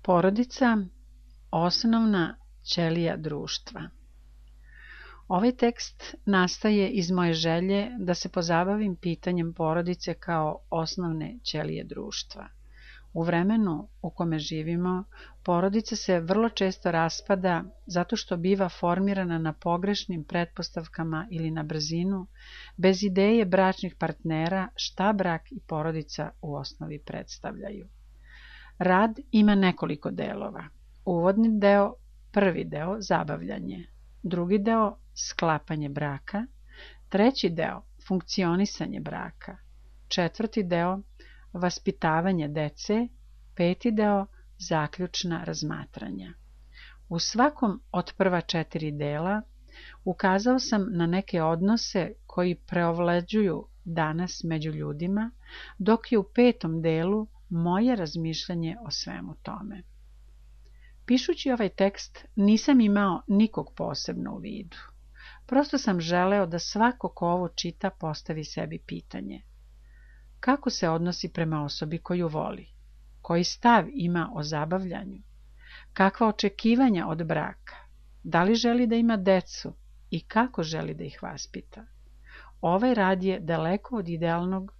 Porodica, osnovna ćelija društva. Ovaj tekst nastaje iz moje želje da se pozabavim pitanjem porodice kao osnovne ćelije društva. U vremenu u kome živimo, porodica se vrlo često raspada zato što biva formirana na pogrešnim pretpostavkama ili na brzinu, bez ideje bračnih partnera šta brak i porodica u osnovi predstavljaju. Rad ima nekoliko delova. Uvodni deo, prvi deo zabavljanje, drugi deo sklapanje braka, treći deo funkcionisanje braka, četvrti deo vaspitavanje dece, peti deo zaključna razmatranja. U svakom od prva 4 dela ukazao sam na neke odnose koji preovlađuju danas među ljudima, dok je u 5. delu moje razmišljanje o svemu tome. Pišući ovaj tekst nisam imao nikog posebno u vidu. Prosto sam želeo da svako ko ovo čita postavi sebi pitanje. Kako se odnosi prema osobi koju voli? Koji stav ima o zabavljanju? Kakva očekivanja od braka? Da li želi da ima decu i kako želi da ih vaspita? Ovaj rad je daleko od idealnog.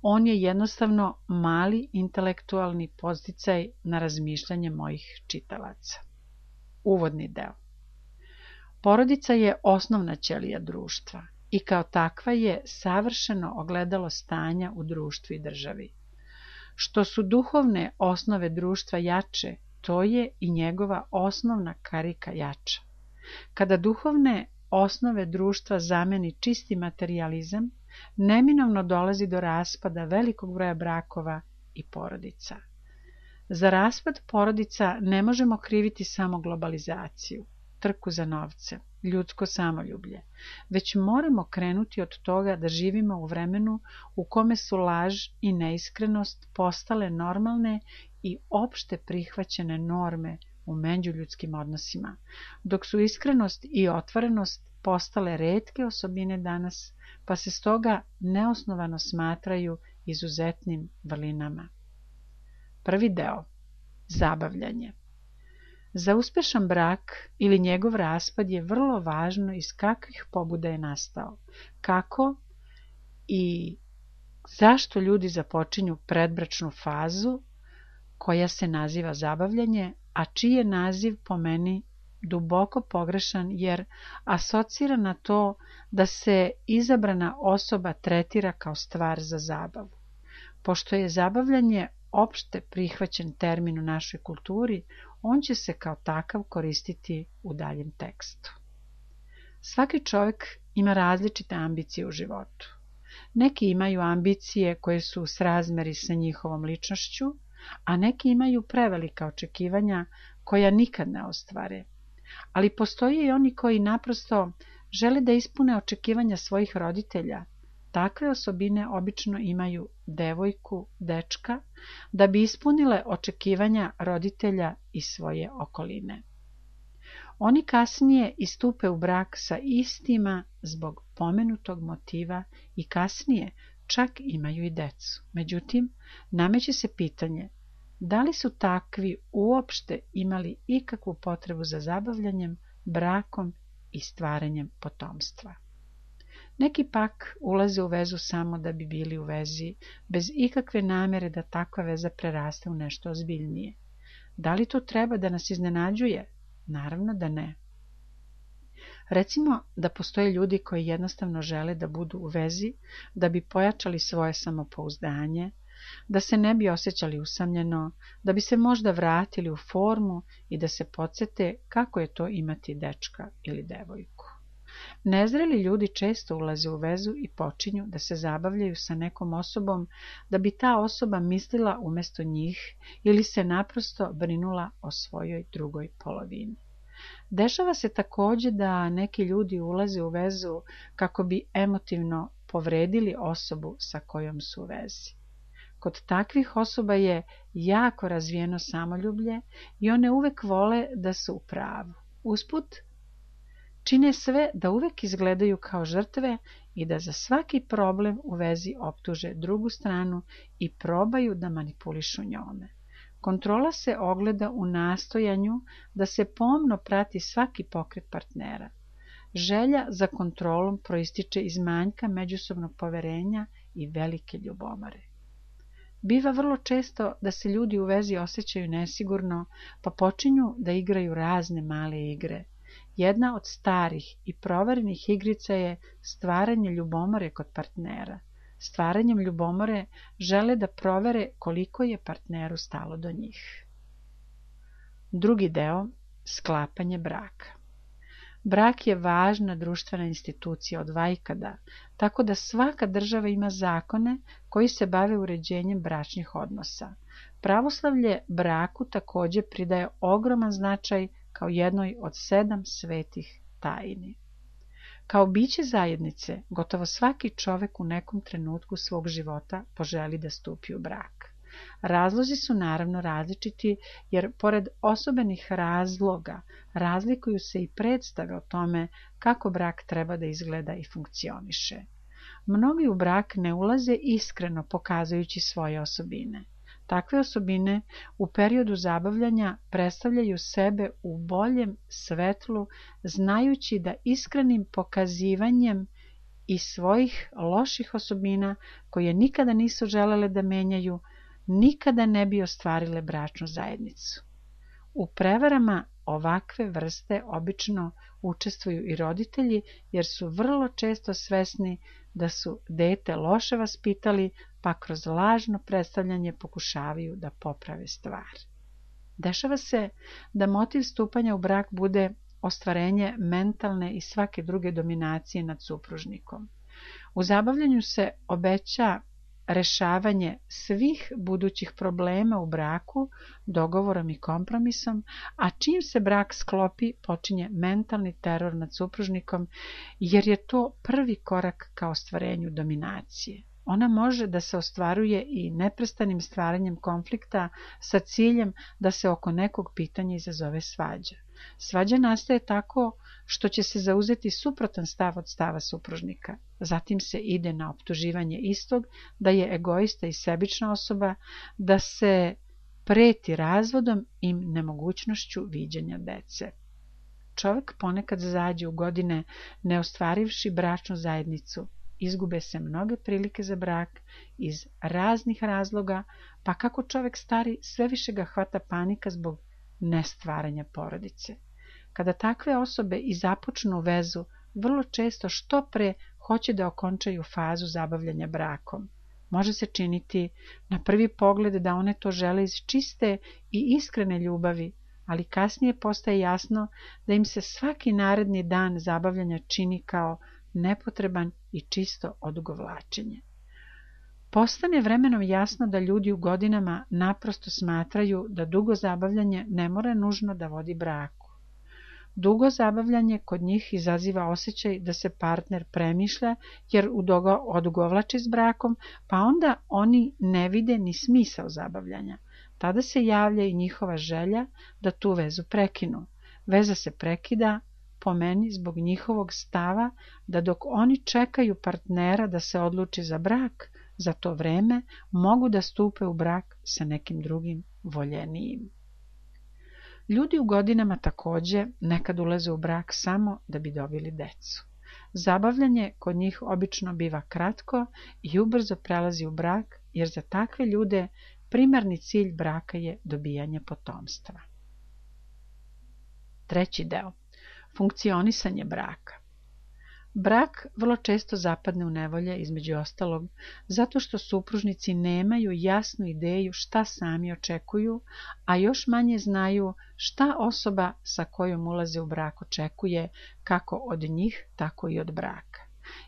On je jednostavno mali intelektualni podsticaj na razmišljanje mojih čitalaca. Uvodni deo. Porodica je osnovna ćelija društva i kao takva je savršeno ogledalo stanja u društvu i državi. Što su duhovne osnove društva jače, to je i njegova osnovna karika jača. Kada duhovne osnove društva zameni čisti materijalizam, neminovno dolazi do raspada velikog broja brakova i porodica. Za raspad porodica ne možemo kriviti samo globalizaciju, trku za novce, ljudsko samoljublje, već moramo krenuti od toga da živimo u vremenu u kome su laž i neiskrenost postale normalne i opšte prihvaćene norme u međuljudskim odnosima, dok su iskrenost i otvorenost postale retke osobine danas, pa se stoga neosnovano smatraju izuzetnim vrlinama. Prvi deo. Zabavljanje. Za uspešan brak ili njegov raspad je vrlo važno iz kakvih pobuda je nastao, kako i zašto ljudi započinju predbračnu fazu koja se naziva zabavljanje, a čiji je naziv po meni duboko pogrešan jer asocira na to da se izabrana osoba tretira kao stvar za zabavu. Pošto je zabavljanje opšte prihvaćen termin u našoj kulturi, on će se kao takav koristiti u daljem tekstu. Svaki čovjek ima različite ambicije u životu. Neki imaju ambicije koje su u srazmeri sa njihovom ličnošću, a neki imaju prevelika očekivanja koja nikad ne ostvare. Ali postoje i oni koji naprosto žele da ispune očekivanja svojih roditelja. Takve osobine obično imaju devojku, dečka, da bi ispunile očekivanja roditelja i svoje okoline. Oni kasnije istupe u brak sa istima zbog pomenutog motiva i kasnije čak imaju i decu. Međutim, nameće se pitanje da li su takvi uopšte imali ikakvu potrebu za zabavljanjem, brakom i stvaranjem potomstva. Neki pak ulaze u vezu samo da bi bili u vezi, bez ikakve namere da takva veza preraste u nešto ozbiljnije. Da li to treba da nas iznenađuje? Naravno da ne. Recimo da postoje ljudi koji jednostavno žele da budu u vezi, da bi pojačali svoje samopouzdanje, da se ne bi osjećali usamljeno, da bi se možda vratili u formu i da se podsete kako je to imati dečka ili devojku. Nezreli ljudi često ulaze u vezu i počinju da se zabavljaju sa nekom osobom da bi ta osoba mislila umjesto njih ili se naprosto brinula o svojoj drugoj polovini. Dešava se također da neki ljudi ulaze u vezu kako bi emotivno povredili osobu sa kojom su u vezi. Kod takvih osoba je jako razvijeno samoljublje i one uvek vole da su u pravu. Usput, čine sve da uvek izgledaju kao žrtve i da za svaki problem u vezi optuže drugu stranu i probaju da manipulišu njome. Kontrola se ogleda u nastojanju da se pomno prati svaki pokret partnera. Želja za kontrolom proističe iz manjka međusobnog poverenja i velike ljubomore. Biva vrlo često da se ljudi u vezi osjećaju nesigurno, pa počinju da igraju razne male igre. Jedna od starih i proverenih igrica je stvaranje ljubomore kod partnera. Stvaranjem ljubomore žele da provere koliko je partneru stalo do njih. Drugi deo, sklapanje braka. Brak je važna društvena institucija od vajkada, tako da svaka država ima zakone koji se bave uređenjem bračnih odnosa. Pravoslavlje braku takođe pridaje ogroman značaj kao jednoj od 7 svetih tajni. Kao biće zajednice, gotovo svaki čovek u nekom trenutku svog života poželi da stupi u brak. Razlozi su naravno različiti, jer pored osobenih razloga razlikuju se i predstave o tome kako brak treba da izgleda i funkcioniše. Mnogi u brak ne ulaze iskreno pokazujući svoje osobine. Takve osobine u periodu zabavljanja predstavljaju sebe u boljem svetlu, znajući da iskrenim pokazivanjem i svojih loših osobina, koje nikada nisu želele da menjaju, nikada ne bi ostvarile bračnu zajednicu. U prevarama ovakve vrste obično učestvuju i roditelji, jer su vrlo često svesni da su dete loše vaspitali, pa kroz lažno predstavljanje pokušavaju da poprave stvar. Dešava se da motiv stupanja u brak bude ostvarenje mentalne i svake druge dominacije nad supružnikom. U zabavljanju se obeća rešavanje svih budućih problema u braku dogovorom i kompromisom, a čim se brak sklopi počinje mentalni teror nad supružnikom, jer je to prvi korak ka ostvarenju dominacije. Ona može da se ostvaruje i neprestanim stvaranjem konflikta sa ciljem da se oko nekog pitanja izazove svađa. Svađa nastaje tako što će se zauzeti suprotan stav od stava supružnika. Zatim se ide na optuživanje istog da je egoista i sebična osoba, da se preti razvodom i nemogućnošću viđenja dece. Čovek ponekad zađe u godine ne ostvarivši bračnu zajednicu. Izgube se mnoge prilike za brak iz raznih razloga, pa kako čovek stari, sve više ga hvata panika zbog nestvaranja porodice. Kada takve osobe i započnu vezu, vrlo često što pre hoće da okončaju fazu zabavljanja brakom. Može se činiti na prvi pogled da one to žele iz čiste i iskrene ljubavi, ali kasnije postaje jasno da im se svaki naredni dan zabavljanja čini kao nepotreban i čisto odugovlačenje. Postane vremenom jasno da ljudi u godinama naprosto smatraju da dugo zabavljanje ne mora nužno da vodi braku. Dugo zabavljanje kod njih izaziva osjećaj da se partner premišlja jer odugovlači s brakom, pa onda oni ne vide ni smisao zabavljanja. Tada se javlja i njihova želja da tu vezu prekinu. Veza se prekida, po meni, zbog njihovog stava da dok oni čekaju partnera da se odluči za brak, za to vreme mogu da stupe u brak sa nekim drugim voljenijim. Ljudi u godinama takođe nekad ulaze u brak samo da bi dobili decu. Zabavljanje kod njih obično biva kratko i ubrzo prelazi u brak, jer za takve ljude primarni cilj braka je dobijanje potomstva. Treći deo. Funkcionisanje braka. Brak vrlo često zapadne u nevolje, između ostalog, zato što supružnici nemaju jasnu ideju šta sami očekuju, a još manje znaju šta osoba sa kojom ulaze u brak očekuje, kako od njih, tako i od braka.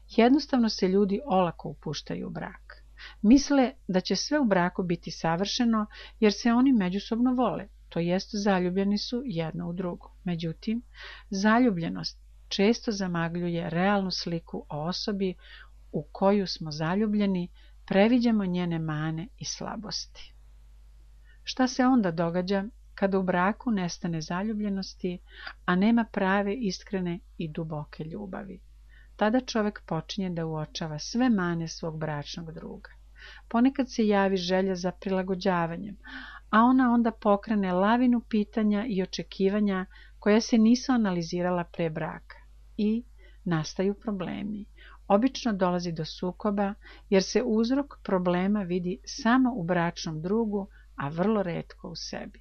Jednostavno se ljudi olako upuštaju u brak. Misle da će sve u braku biti savršeno, jer se oni međusobno vole, to jest zaljubljeni su jedno u drugo. Međutim, zaljubljenost često zamagljuje realnu sliku o osobi u koju smo zaljubljeni, previđamo njene mane i slabosti. Šta se onda događa kada u braku nestane zaljubljenosti, a nema prave, iskrene i duboke ljubavi? Tada čovek počinje da uočava sve mane svog bračnog druga. Ponekad se javi želja za prilagođavanjem, a ona onda pokrene lavinu pitanja i očekivanja koja se nisu analizirala pre braka i nastaju problemi. Obično dolazi do sukoba jer se uzrok problema vidi samo u bračnom drugu, a vrlo retko u sebi.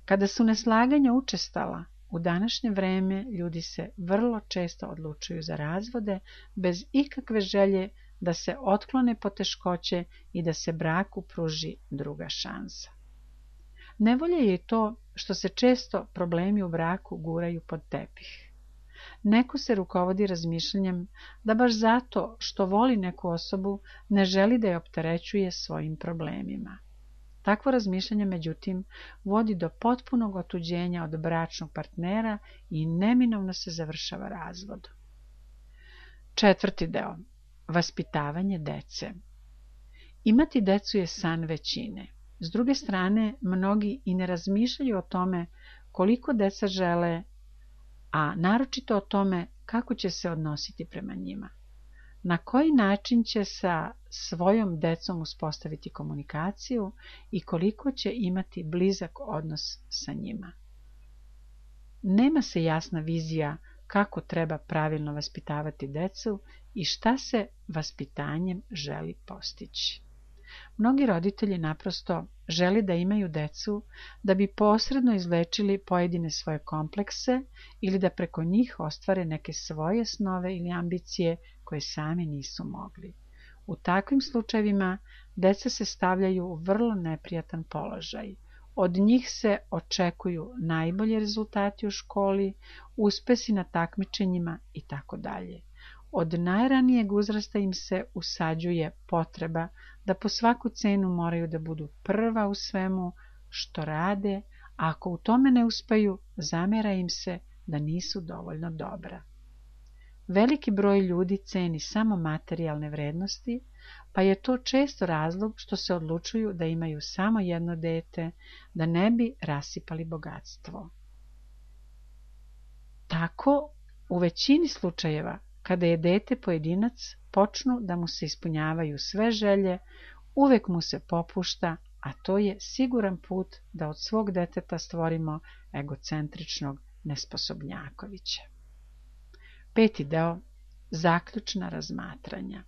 Kada su neslaganja učestala, u današnje vreme ljudi se vrlo često odlučuju za razvode bez ikakve želje da se otklone poteškoće i da se braku pruži druga šansa. Nevolja je i to što se često problemi u braku guraju pod tepih. Neko se rukovodi razmišljanjem da baš zato što voli neku osobu ne želi da je opterećuje svojim problemima. Takvo razmišljanje, međutim, vodi do potpunog otuđenja od bračnog partnera i neminovno se završava razvodom. 4. deo. Vaspitavanje dece. Imati decu je san većine. S druge strane, mnogi i ne razmišljaju o tome koliko deca žele, a naročito o tome kako će se odnositi prema njima. Na koji način će sa svojom decom uspostaviti komunikaciju i koliko će imati blizak odnos sa njima. Nema se jasna vizija kako treba pravilno vaspitavati decu i šta se vaspitanjem želi postići. Mnogi roditelji naprosto žele da imaju decu da bi posredno izlečili pojedine svoje komplekse ili da preko njih ostvare neke svoje snove ili ambicije koje sami nisu mogli. U takvim slučajevima deca se stavljaju u vrlo neprijatan položaj. Od njih se očekuju najbolji rezultati u školi, uspesi na takmičenjima itd. Od najranijeg uzrasta im se usađuje potreba da po svaku cenu moraju da budu prva u svemu što rade, a ako u tome ne uspeju, zamera im se da nisu dovoljno dobra. Veliki broj ljudi ceni samo materijalne vrednosti, pa je to često razlog što se odlučuju da imaju samo jedno dete, da ne bi rasipali bogatstvo. Tako, u većini slučajeva, kada je dete pojedinac, počnu da mu se ispunjavaju sve želje, uvek mu se popušta, a to je siguran put da od svog deteta stvorimo egocentričnog nesposobnjakovića. 5. deo. Zaključna razmatranja.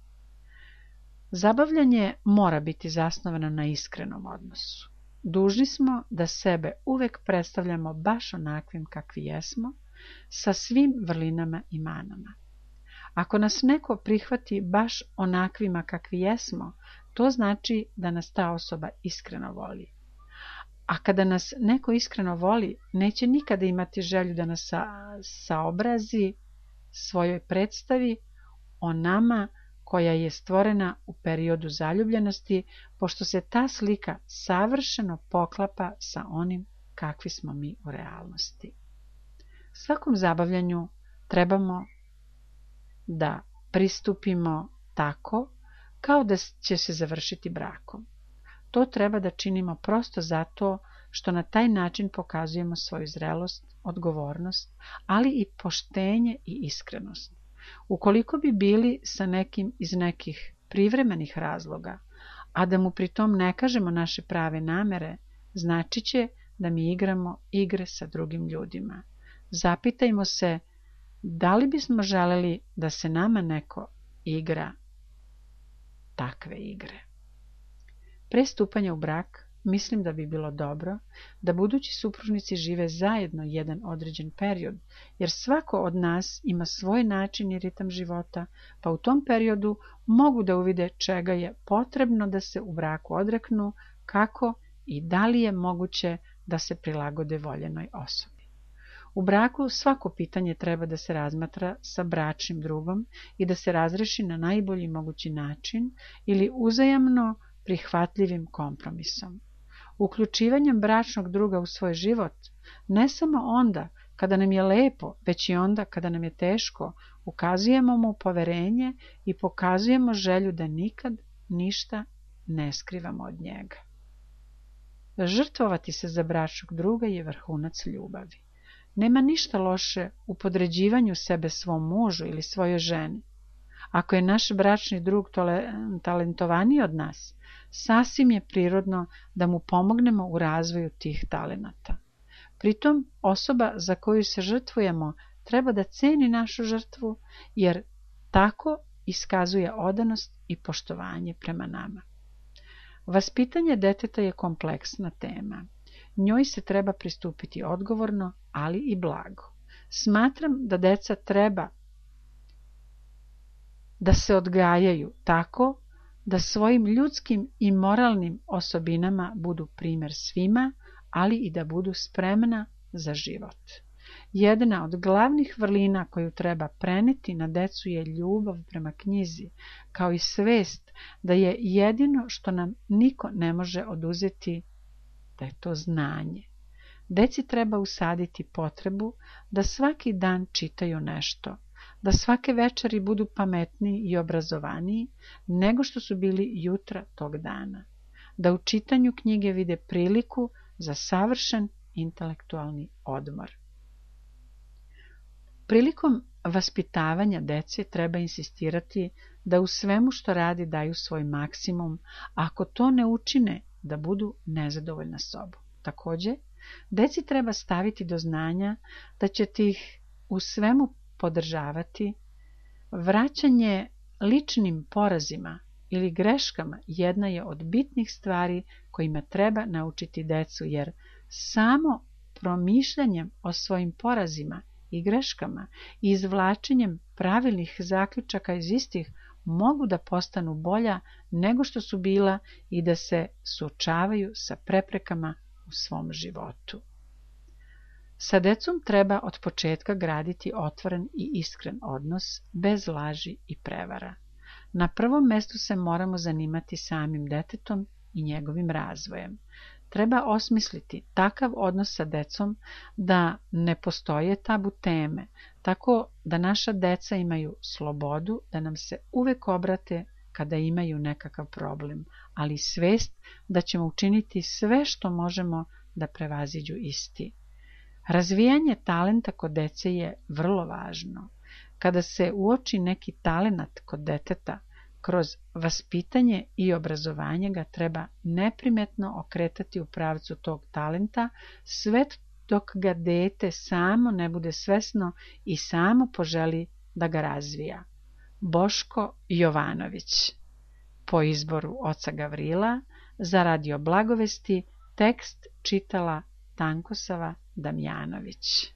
Zabavljanje mora biti zasnovano na iskrenom odnosu. Dužni smo da sebe uvek predstavljamo baš onakvim kakvi jesmo, sa svim vrlinama i manama. Ako nas neko prihvati baš onakvima kakvi jesmo, to znači da nas ta osoba iskreno voli. A kada nas neko iskreno voli, neće nikada imati želju da nas saobrazi svojoj predstavi o nama koja je stvorena u periodu zaljubljenosti, pošto se ta slika savršeno poklapa sa onim kakvi smo mi u realnosti. Svakom zabavljanju trebamo da pristupimo tako kao da će se završiti brakom. To treba da činimo prosto zato što na taj način pokazujemo svoju zrelost, odgovornost, ali i poštenje i iskrenost. Ukoliko bi bili sa nekim iz nekih privremenih razloga, a da mu pritom ne kažemo naše prave namere, znači će da mi igramo igre sa drugim ljudima. Zapitajmo se da li bismo želeli da se nama neko igra takve igre. Pre stupanja u brak mislim da bi bilo dobro da budući supružnici žive zajedno jedan određen period, jer svako od nas ima svoj način i ritam života, pa u tom periodu mogu da uvide čega je potrebno da se u braku odreknu, kako i da li je moguće da se prilagode voljenoj osobi. U braku svako pitanje treba da se razmatra sa bračnim drugom i da se razreši na najbolji mogući način ili uzajamno prihvatljivim kompromisom. Uključivanjem bračnog druga u svoj život, ne samo onda kada nam je lepo, već i onda kada nam je teško, ukazujemo mu poverenje i pokazujemo želju da nikad ništa ne skrivamo od njega. Žrtvovati se za bračnog druga je vrhunac ljubavi. Nema ništa loše u podređivanju sebe svom mužu ili svojoj ženi. Ako je naš bračni drug talentovaniji od nas, Sasvim je prirodno da mu pomognemo u razvoju tih talenata. Pritom, osoba za koju se žrtvujemo treba da ceni našu žrtvu, jer tako iskazuje odanost i poštovanje prema nama. Vaspitanje deteta je kompleksna tema. Njoj se treba pristupiti odgovorno, ali i blago. Smatram da deca treba da se odgajaju tako da svojim ljudskim i moralnim osobinama budu primjer svima, ali i da budu spremna za život. Jedna od glavnih vrlina koju treba preneti na decu je ljubav prema knjizi, kao i svest da je jedino što nam niko ne može oduzeti, da je to znanje. Deci treba usaditi potrebu da svaki dan čitaju nešto, da svake večeri budu pametniji i obrazovaniji nego što su bili jutra tog dana, da u čitanju knjige vide priliku za savršen intelektualni odmor. Prilikom vaspitavanja dece treba insistirati da u svemu što radi daju svoj maksimum, a ako to ne učine, da budu nezadovoljna sobom. Također, deci treba staviti do znanja da ćete ih u svemu podržavati. Vraćanje ličnim porazima ili greškama jedna je od bitnih stvari kojima treba naučiti decu, jer samo promišljanjem o svojim porazima i greškama i izvlačenjem pravilnih zaključaka iz istih mogu da postanu bolja nego što su bila i da se suočavaju sa preprekama u svom životu. Sa decom treba od početka graditi otvoren i iskren odnos, bez laži i prevara. Na prvom mestu se moramo zanimati samim detetom i njegovim razvojem. Treba osmisliti takav odnos sa decom da ne postoje tabu teme, tako da naša deca imaju slobodu da nam se uvek obrate kada imaju nekakav problem, ali svest da ćemo učiniti sve što možemo da prevaziđu isti. Razvijanje talenta kod dece je vrlo važno. Kada se uoči neki talenat kod deteta, kroz vaspitanje i obrazovanje ga treba neprimetno okretati u pravcu tog talenta, sve dok ga dete samo ne bude svesno i samo poželi da ga razvija. Boško Jovanović. Po izboru oca Gavrila, za Radio Blagovesti, tekst čitala Tankosava Damjanović.